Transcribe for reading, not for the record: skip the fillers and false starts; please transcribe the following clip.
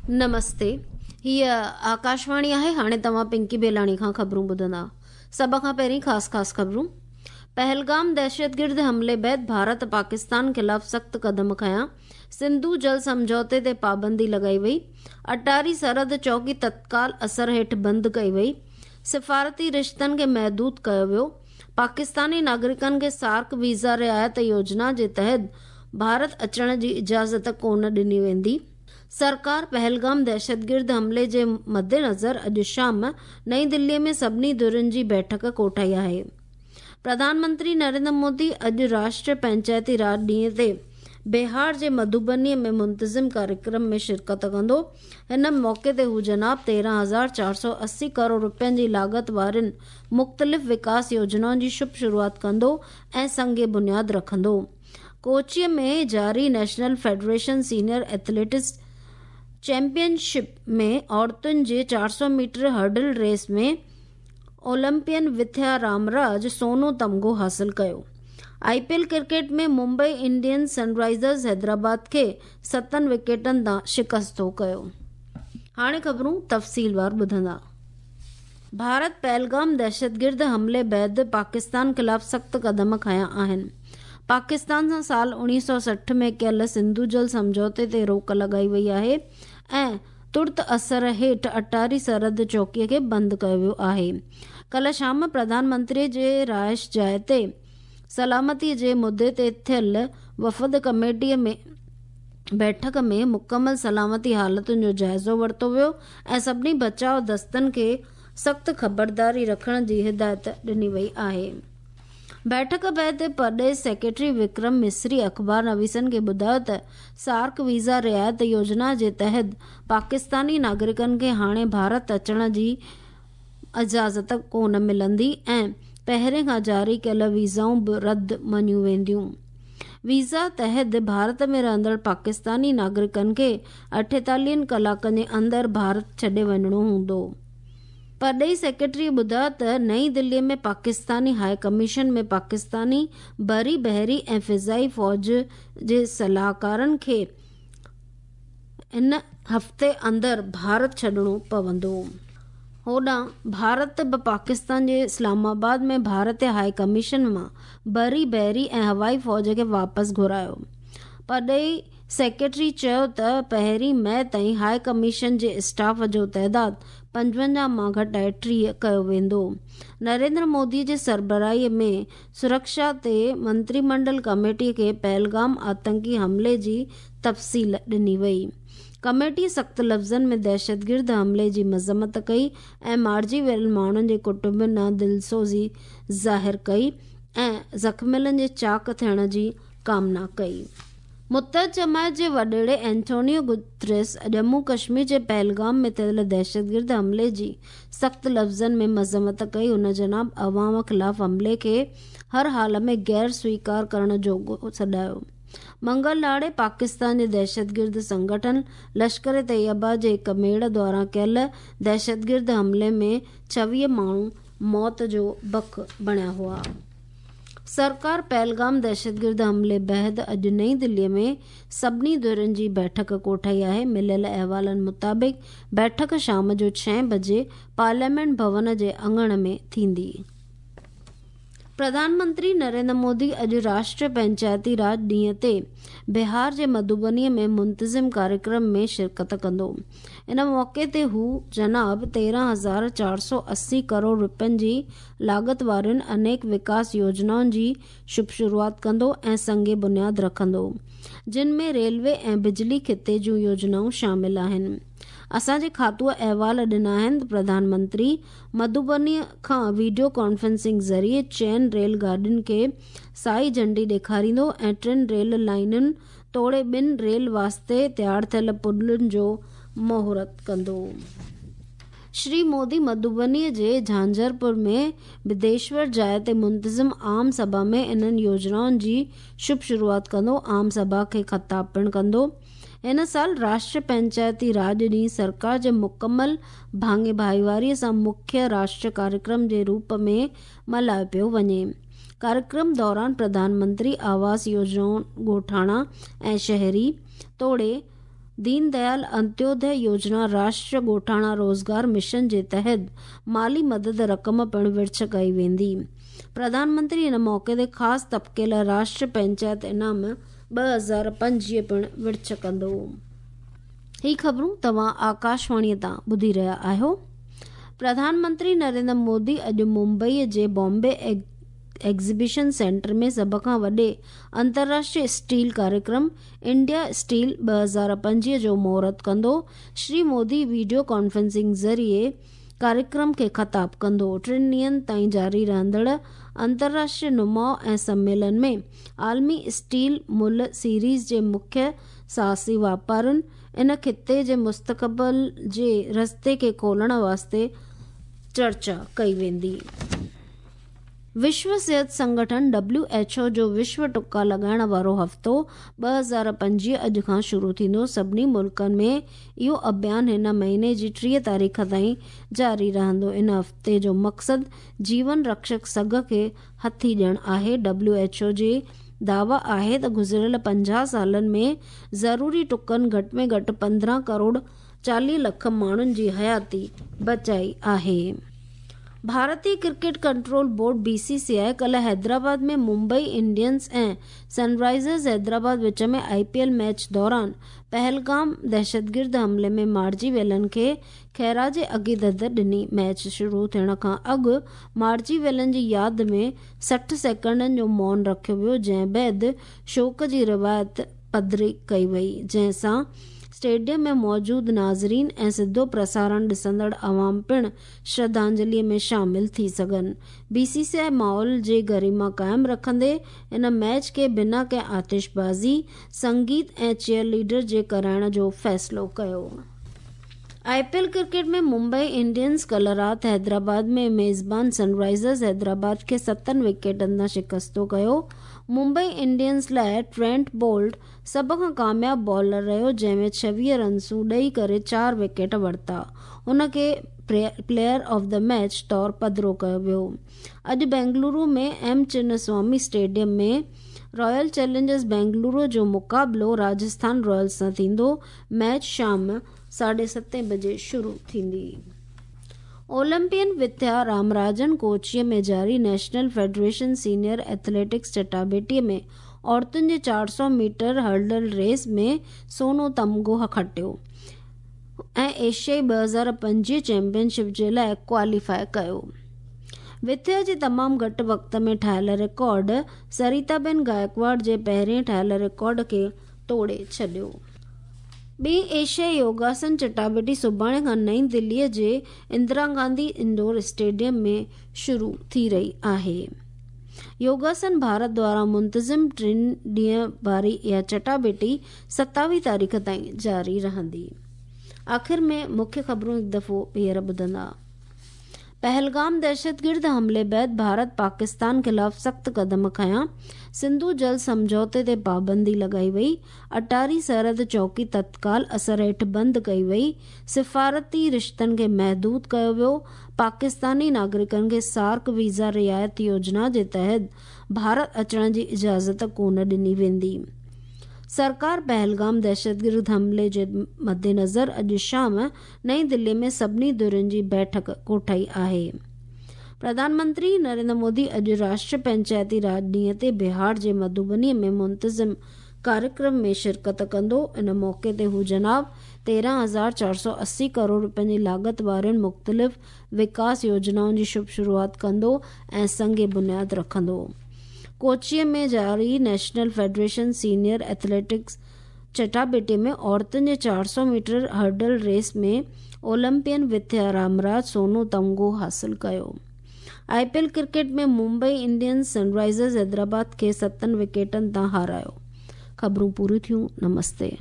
نمستي هيء آڪاشواڻي آهي هاڻي توهان پنڪي بيلاڻي کان خبرون ٻڌندا سڀ کان پهرين خاص خاص خبرون پهلگام دهشتگرد حملي بعد ڀارت پاڪستان خلاف سخت قدم کنيا سنڌو جل سمجهوتي تي پابندي لڳائي وئي اٽاري سرحد چوڪي تتڪال اثر هيٺ بند ڪئي وئي سفارتي رشتن کي محدود ڪيو ويو پاڪستاني ناگرڪن کي سارڪ ويزا رعايت يوجنا جي تحت ڀارت اچڻ جي اجازت ڪونه ڏني ويندي. سرڪار پهلگام دهشتگرد حملي جي مدنظر اڄ شام نئين دلي ۾ سڀني ڌرين جي بيٺڪ ڪوٺائي آهي. پرڌان منتري نريندر مودي اڄ راشٽريه پنچائتي راڄ ڏينهن تي بهار جي مڌوبني ۾ منتظم ڪاريڪرم ۾ شرڪت ڪندو. هن موقعي تي هو جناب 13,480 ڪروڙ رپين جي لاڳت وارين مختلف وڪاس يوجنائن جي شڀ شروعات ڪندو ۽ سنگ بنياد رکندو. ڪوچيء ۾ جاري national federation senior athletics championship ۾ عورتن جي 400 ميٽر هرڊل ريس ۾ اولمپين وٿيا رامراج سونو تمغو حاصل ڪيو. I P L cricket ۾ Mumbai Indians Sunrisers Hyderabad کي ستن وڪيٽن تان شڪستو ڪيو. هاڻي خبرون تفصيلوار ٻڌندا. ڀارت پهلگام دهشتگرد حملي بعد پاڪستان خلاف سخت قدم کنيا آهن. پاڪستان سان سال 1960 ۾ ڪيل سنڌو جل سمجهوتي تي روڪ لڳائي وئي آهي ۽ ترت اثر هيٺ اٽاري سرحد چوڪي کي بند ڪيو ويو آهي. ڪلهه شام پرڌان منتري جي رهائش جاء تي سلامتي جي مدي تي ٿيل وفد ڪميٽي ۾ بيٺڪ ۾ مڪمل سلامتي حالتن جو جائزو ورتو ويو ۽ سڀني بچاء دستن کي سخت خبرداري رکڻ جي هدايت ڏني وئي آهي. بيٺڪ بعد پرڏيهي سيڪريٽري وڪرم مصري اخبار نويسن کي ٻڌايو ته سارڪ ويزا رعايت يوجنا جي تحت پاڪستاني ناگرڪن کي هاڻي ڀارت اچڻ جي اجازت ڪونه ملندي ۽ پهرين کان جاري ڪيل ويزائون به رد مڃيون وينديون. ويزا تحت ڀارت ۾ رهندڙ پاڪستاني ناگرڪن کي اٺيتاليهن ڪلاڪن جي اندر ڀارت ڇڏي وڃڻو هوندو. پرڏيهي سيڪريٽري ٻڌايو ته نئين دلي ۾ پاڪستاني هاء ڪميشن ۾ پاڪستاني بري، بحري ۽ فضائي فوج جي صلاحڪارن کي هن هفتي اندر ڀارت ڇڏڻو پوندو. هوڏانهن ڀارت به پاڪستان جي اسلام آباد ۾ ڀارتي هاء ڪميشن مان بري، بحري ۽ هوائي فوج کي واپس گهرايو. پرڏيهي سيڪريٽري چيو ته پهرين مئي تائين هاء ڪميشن جي اسٽاف جو تعداد 55 مان گهٽائي 30 ڪيو ويندو. نريندر مودي جي سربراهي ۾ سرڪشا تي منتري منڊل ڪميٽي کي پهلگام آتنڪي حملي جي تفصيل ڏني وئي. ڪميٽي سخت لفظن ۾ دهشتگرد حملي جي مذمت ڪئي ۽ مارجي ويل ماڻهن جي ڪٽنبن ڏانهن دلسوزي ظاهر ڪئي ۽ زخميلن جي چاق ٿيڻ جي ڪامنا ڪئي. متحد جماعت جي وڏيري اينٿونيو گوتريس ڄمون ڪشمير جي پهلگام ۾ ٿيل دهشتگرد حملي جي سخت لفظن ۾ مذمت ڪئي. هن جناب عوام خلاف حملي کي هر حال ۾ غير سويڪار ڪرڻ جوڳو سڏايو. منگل ڏهاڙي پاڪستان جي دهشتگرد سنگٺن لشڪر طيبه جي هڪ ميڙ دوران ڪيل دهشتگرد حملي ۾ 26 ماڻهو موت جو بک بڻيا هئا. سرڪار پهلگام دهشتگرد حملي بعد اڄ نئين دلي ۾ سڀني ڌرين جي بيٺڪ ڪوٺائي آهي. مليل احوالن مطابق بيٺڪ شام جو ڇهين بجي پارليامينٽ ڀون جي اڱڻ ۾ ٿيندي. پرڌان منتري نريندر مودي اڄ راشٽريه پنچائتي راڄ ڏينهن تي بهار جي مڌوبني ۾ منتظم ڪاريڪرم ۾ شرڪت ڪندو. ان موقعي تي هو جناب 13,480 ڪروڙ رپين جي لاڳت وارين انيڪ وڪاس يوجنائن جي شڀ شروعات ڪندو ۽ سنگ بنياد رکندو، جن ۾ ريلوي ۽ بجلي خطي جون يوجنائون شامل آهن. اسان جي کاتوء احوال ڏنا آهن ته پرڌان منتري مڌوبني کان ويڊيو ڪانفرنسنگ ذريعي چئن ريل گاڏين کي سائي جهنڊي ڏيکاريندو ۽ ٽن ريل لائينن توڙي ٻن ريل واسطي تيار ٿيل پلن جو مهورت ڪندو. شري مودي مڌوبني جي جهانجهرپور ۾ بديشور جاء تي منتظم عام سڀا ۾ انهن يوجنائن جي شڀ شروعات ڪندو، عام سڀا کي خطاب پڻ ڪندو. هن سال راشٽريه پنچائتي راڄ ڏينهن سرڪار جي مڪمل ڀاڱي ڀائيواري سان مکيه راشٽريه ڪاريڪرم جي روپ ۾ ملهايو پيو وڃي. ڪاريڪرم دوران پرڌان منتري آواس يوجنائون ڳوٺاڻا ۽ شهري توڙي دين ديال انتيودي يوجنا راشٽريه ڳوٺاڻا روزگار مشن جي تحت مالي مدد رقم پڻ ورڇ ڪئي ويندي. پرڌان منتري ان موقعي تي خاص طبقي لاء راشٽريه پئنچائت انعام 2025 پڻ ورڇ ڪندو. هي خبرون توهان آڪاشواڻيء تان ٻڌي رهيا آهيو. پرڌان منتري نريندر مودي اڄ ممبئيء جي بامبي ايگزيبيشن سينٽر ۾ سڀ کان وڏي انترراشٽريه اسٽيل ڪاريڪرم انڊيا اسٽيل 2025 جو مهورت ڪندو. شري مودي وڊيو ڪانفرنسنگ ذريعي ڪاريڪرم کي خطاب ڪندو. ٽن ڏينهن تائين جاري رهندڙ انترراشٽريه نماء ۽ سميلن ۾ عالمي اسٽيل مل سيريز جي مکيه ساهسي واپارين ان خطي جي مستقبل جي رستي کي کولڻ واسطي چرچا ڪئي ويندي. وشو صحت سنگٺن، ڊبليو ايڇ او، جو وشو ٽڪا لڳائڻ وارو هفتو 2025 اڄ کان شروع ٿيندو. سڀني ملڪن ۾ اهو اڀيان هن مهيني جي 30 تاريخ تائين جاري رهندو. ان هفتي جو مقصد جيون رڪشڪ سگهه کي هٿي ڏيڻ آهي. ڊبليو ايڇ او جي دعويٰ آهي ته گذريل 50 سالن ۾ ضروري ٽڪن گهٽ ۾ گهٽ 15 ڪروڙ 40 لک ماڻهن جي حياتي بچائي آهي. ڀارتي cricket control board, B C C I, ڪلهه حيدرآباد ۾ ممبئي انڊينز ۽ سن رائيزرز حيدرآباد وچ ۾ آء پي ايل ميچ دوران پهلگام دهشتگرد حملي ۾ مارجي ويلن کي خراج عقيدت ڏني. ميچ شروع ٿيڻ کان اڳ مارجي ويلن جي ياد ۾ 60 سيڪنڊن جو مون رکيو ويو جنهن بعد شوڪ جي روايت پڌري ڪئي وئي جنهن سان اسٽيڊيم ۾ موجود ناظرين ۽ سڌو پرسارڻ ڏسندڙ عوام پڻ شرڌانجلي ۾ شامل ٿي سگهن. بي سي سي آء ماحول جي گريما قائم رکندي ان ميچ کي بنا ڪنهن آتشبازي، سنگيت ۽ چيئر ليڊر جي ڪرائڻ جو فيصلو ڪيو. I P L cricket ۾ Mumbai Indians ڪلهه رات حيدرآباد ۾ ميزبان سن رائيزرز حيدرآباد کي ستن وڪيٽن تان شڪستو ڪيو. ممبئي انڊينز لاء ٽرينٽ بولٽ سڀ کان ڪامياب بالر رهيو جنهن ۾ 26 رنسون ڏئي ڪري چار وڪيٽ ورتا. هن کي پليئر آف the match طور پڌرو ڪيو ويو. اڄ Bengaluru ۾ M Chinnaswamy stadium ۾ Royal Challengers Bengaluru جو مقابلو راجسٿان رائلز سان ٿيندو. ميچ شام ساڍي ستين بجي شروع ٿيندي. اولمپين وٿيا رامراجن ڪوچيء ۾ جاري نيشنل فيڊريشن سينيئر ايٿليٽڪس چٽاڀيٽيء ۾ عورتن جي 400 ميٽر هرڊل ريس ۾ سونو تمغو کٽيو ۽ ايشيائي 2025 چيمپيئن شپ جي لاء ڪواليفاء ڪيو. وٿيا جي تمام گهٽ وقت ۾ ٺاهيل رڪارڊ سريتا بين گائڪواڙ جي پهرين ٺاهيل رڪارڊ کي ٽوڙي ڇڏيو. ٻي ايشيائي يوگاسن چٽاڀيٽي سڀاڻي کان نئين دهليء جي اندرا گانڌي انڊور اسٽيڊيم ۾ شروع ٿي رهي آهي. يوگاسن ڀارت دواران منتظم ٽن ڏينهن واري اها چٽاڀيٽي 27 تاريخ تائين جاري رهندي. آخر ۾ مکيه خبرون هڪ دفعو ٻيهر ٻڌندا. پهلگام دهشتگرد حملي بعد ڀارت پاڪستان خلاف سخت قدم کنيا، سنڌو جل سمجهوتي تي پابندي لڳائي وئي، اٽاري سرحد چوڪي تتڪال اثر هيٺ بند ڪئي وئي، سفارتي رشتن کي محدود ڪيو ويو، پاڪستاني ناگرڪن کي سارڪ ويزا رعايت يوجنا جي تحت ڀارت اچڻ جي اجازت ڪونه ڏني ويندي. سرڪار پهلگام دهشتگرد حملي جي مدنظر اڄ شام نئين دهلي ۾ سڀني ڌرين جي بيٺڪ ڪوٺائي آهي. پرڌان منتري نريندر مودي اڄ راشٽريه پنچائتي راڄ ڏينهن تي بهار جي مڌوبني ۾ منتظم ڪاريڪرم ۾ شرڪت ڪندو. ان موقعي تي هو جناب 13,480 ڪروڙ رپين جي لاڳت وارين مختلف وڪاس يوجنائن جي شڀ شروعات ڪندو ۽ سنگ بنياد رکندو. ڪوچيء ۾ جاري نيشنل فيڊريشن سينيئر ايٿليٽڪس چٽاڀيٽي ۾ عورتن جي 400 ميٽر هرڊل ريس ۾ اولمپين وٿيا رامراج سونو تمغو حاصل ڪيو. I P L cricket ۾ Mumbai Indians Sunrisers Hyderabad کي ستن وڪيٽن تان هارايو. خبرون پوريون ٿيون. نمستي.